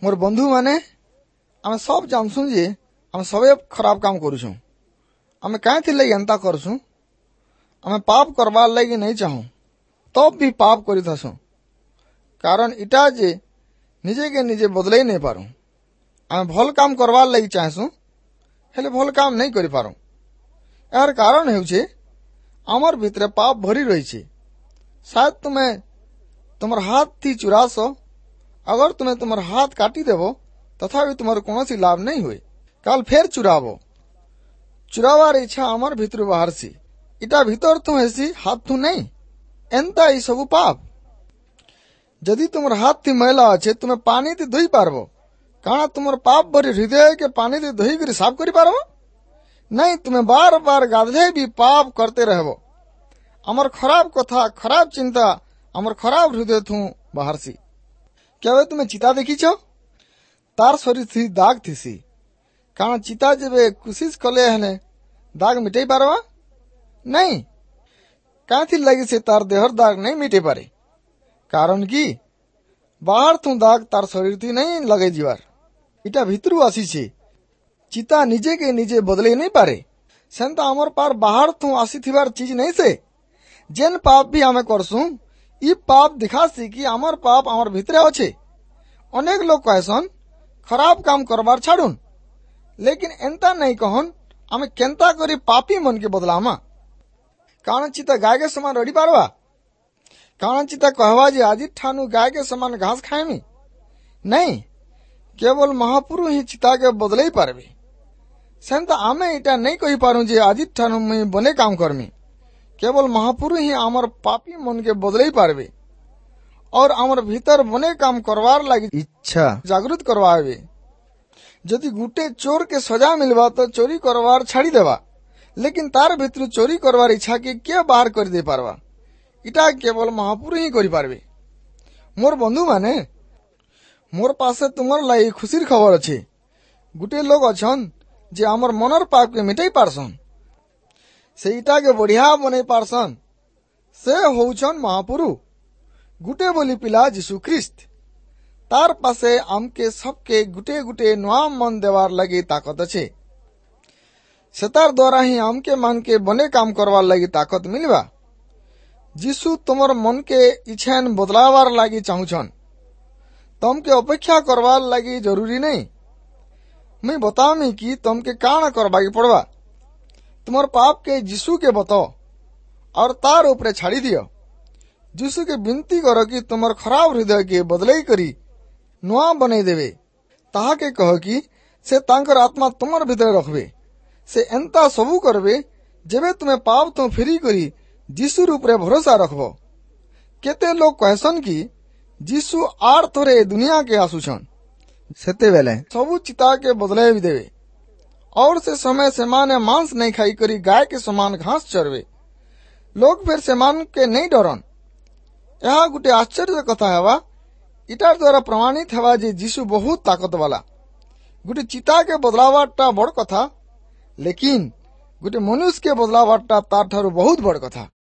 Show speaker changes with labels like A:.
A: ମୋର ବନ୍ଧୁମାନେ, ଆମେ ସବ୍ ଜାନସୁଁ ଯେ ଆମେ ସବେ ଖରାପ କାମ କରୁଛୁଁ। ଆମେ କାଏଁଥିର୍ ଲାଗି ଏନ୍ତା କରସୁଁ? ଆମେ ପାପ କରବାର୍ ଲାଗି ନାଇଁ ଚାହୁଁ, ତବ୍ ବି ପାପ କରିଥାସୁଁ। କାରଣ ଇଟା ଯେ ନିଜେକେ ନିଜେ ବଦଲେଇ ନାଇଁ ପାରୁ। ଆମେ ଭଲ୍ କାମ କରବାର୍ ଲାଗି ଚାହେଁସୁଁ, ହେଲେ ଭଲ୍ କାମ ନାଇଁ କରିପାରୁ। ଏହାର କାରଣ ହେଉଛେ ଆମର୍ ଭିତରେ ପାପ ଭରି ରହିଛେ। ସାୟଦ ତୁମେ ତୁମର ହାତ ଥି ଚୁରାସ, ଅଗର ତୁମେ ତୁମର ହାତ କାଟି ଦେବ, ତଥାପି ତୁମର କୌଣସି ଲାଭ ନାଇଁ ହୁଏ। କାଲ ଫେର ଚୁରାବ। ଚୁରାବାର ଇଚ୍ଛା ଆମର ଭିତରୁ ବାହାରସି। ଇଟା ଭିତର ଥୁ ହେସି, ହାତ ଥୁ ନାଇଁ। ଏନ୍ତା ଏଇ ସବୁ ପାପ। ଯଦି ତୁମର ହାତ ଥି ମଇଲା ଅଛେ, ତୁମେ ପାନି ଥି ଧୋଇ ପାରବ। କାଣା ତୁମର ପାପ ଭରି ହୃଦୟ କେ ପାନି ଥି ଧୋଇ କରି ସାଫ କରି ପାରବ? ନାଇଁ, ତୁମେ ବାର ବାର ଗାଧଲେ ବି ପାପ କରତେ ରହବ। ଆମର ଖରାପ କଥା, ଖରାପ ଚିନ୍ତା ଆମର ଖରାପ ହୃଦୟ ଥୁ ବାହାରସି। କେବେ ତୁମେ ଚିତା ଦେଖିଛ? ତାର ଶରୀର ଥି ଦାଗ ଥିସି। କାରଣ ଚିତା ଯେବେ କୁସିସ କଲେ ହେଲେ ଦାଗ ମିଟେଇ ପାରବା? ନାଇଁ। କାଁଥିର୍ ଲାଗି ସେ ତାର ଦେହର ଦାଗ ନାଇଁ ମିଟେଇ ପାରେ? କାରଣ କି ବାହାର ଥୁ ଦାଗ ତାର ଶରୀର ଥି ନାଇଁ ଲଗେଇ ଯିବାର। ଇଟା ଭିତରୁ ଆସିଛେ। ଚିତା ନିଜେ କେ ନିଜେ ବଦଲେଇ ନାଇଁ ପାରେ। ସେନ୍ତା ଆମର ପାର ବାହାର ଥୁ ଆସିଥିବାର ଚିଜ ନାଇଁ ସେ। ଯେନ୍ ପାପ ବି ଆମେ କରସୁଁ, ଇ ପାପ ଦିଖାସି କି ଆମର ପାପ ଆମର ଭିତରେ ଅଛେ। ଅନେକ ଲୋକ କହେସନ୍, ଖରାପ କାମ କରବାର ଛାଡୁନ୍। ଲେକିନ ଏନ୍ତା ନାଇଁ କହନ୍, ଆମେ କେନ୍ତା କରି ପାପୀ ମନକେ ବଦଲାମା? କାଣା ଚିତା ଗାୟକେ ସମାନ ରଡ଼ି ପାରବା? କାଣା ଚିତା କହବା ଯେ ଆଜି ଠାନୁ ଗାୟକେ ସମାନ ଘାସ ଖାଏମି? ନାଇଁ, କେବଳ ମହାପୁରୁ ହିଁ ଚିତାକେ ବଦଲେଇ ପାରବେ। ସେନ୍ତା ଆମେ ଇଟା ନାଇଁ କହିପାରୁ ଯେ ଆଜି ଠାନୁ ମୁଇଁ ବନେ କାମ କରମି। କେବଳ ମହାପୁରୁ ହିଁ ଆମର ପାପୀ ମନକେ ବଦଲେଇ ପାରବେ और ଆମର ଭିତର ବନେ କାମ କରବାର ଲାଗି
B: ଇଚ୍ଛା
A: ଜାଗୃତ କରବାବେ। ଯଦି ଗୁଟେ ଚୋର କେ ସଜା ମିଲବା ତ ଚୋରି କରବାର ଛାଡି ଦେବା, ଲେକିନ ତାର ଭିତରୁ ଚୋରି କରବାର ଇଚ୍ଛା କେ କିଏ ବାହାର କରିଦେଇ ପାରବା? ଇଟା କେବଳ ମହାପୁରୁ ହିଁ କରିପାରବେ। ମୋର ବନ୍ଧୁମାନେ, ମୋର ପାଶେ ତୁମର ଲାଗି ଖୁସିର ଖବର ଅଛି। ଗୁଟେ ଲୋକ ଅଛନ୍ ଯେ ଆମର ମନର ପାପକେ ମିଟେଇ ପାରସନ୍, ସେଇଟାକେ ବଢିଆ ବନେଇ ପାରସନ୍। ସେ ହଉଛନ୍ ମହାପୁରୁ, ଗୁଟେ ବୋଲି ପିଲା ଯୀଶୁ ଖ୍ରୀଷ୍ଟ। ତାର ପାଶେ ଆମକେ ସବକେ ଗୁଟେ ଗୁଟେ ନୂଆ ମନ ଦେବାର ଲାଗି ତାକତ ଅଛେ। ସେତାର ଦ୍ୱାରା ହିଁ ଆମକେ ମାନକେ ବନେ କାମ କରବାର ଲାଗି ତାକତ ମିଲବା। ଯୀଶୁ ତୁମର ମନକେ ଇଛାନ ବଦଲାବାର ଲାଗି ଚାହୁଁଛନ୍। ତମକେ ଅପେକ୍ଷା କରବାର ଲାଗି ଜରୁରୀ ନାଇଁ। ମୁଇଁ ବତାମି କି ତମକେ କାଣା କରବାକେ ପଡବା। ତୁମର ପାପ କେ ଯୀଶୁ କେ ବତାଅ और तार ऊपरे छाड़ी दियो। ଯୀଶୁ କେ ବିନତି କର କି ତୁମର ଖରାପ ହୃଦୟ କେ ବଦଲେଇ କରି ନୂଆ ବନେଇ ଦେବେ। ତାହାକେ କହ କି ସେ ତାଙ୍କର ଆତ୍ମା ତୁମର ଭିତରେ ରଖବେ। ସେ ଏନ୍ତା ସବୁ କରବେ ଯେବେ ତୁମେ ପାପ ଥୁ ଫେରି କରି ଯୀଶୁର ଉପରେ ଭରସା ରଖବ। କେତେ ଲୋକ କହେସନ୍ କି ଯୀଶୁ ଆର୍ ଥରେ ଏ ଦୁନିଆ କେ ଆସୁଛନ୍,
B: ସେତେବେଲେ
A: ସବୁ ଚିତାକେ ବଦଲେଇ ଦେବେ और से समय सेमाने मांस नहीं खाई करी गाय के समान घास चरवे। लोग फिर सेमान के नहीं डरन। ଏହା ଗୋଟେ ଆଶ୍ଚର୍ଯ୍ୟ କଥା ହେବା। ଇଟାର ଦ୍ୱାରା ପ୍ରମାଣିତ ହେବା ଯେ ଯୀଶୁ ବହୁତ ତାକତ ବାଲା। ଗୋଟେ ଚିତାକେ ବଦଲାବାରଟା ବଡ କଥା, ଲେକିନ ଗୋଟେ ମନୁଷ୍ୟକେ ବଦଲାବାରଟା ତାର ଠାରୁ ବହୁତ ବଡ କଥା।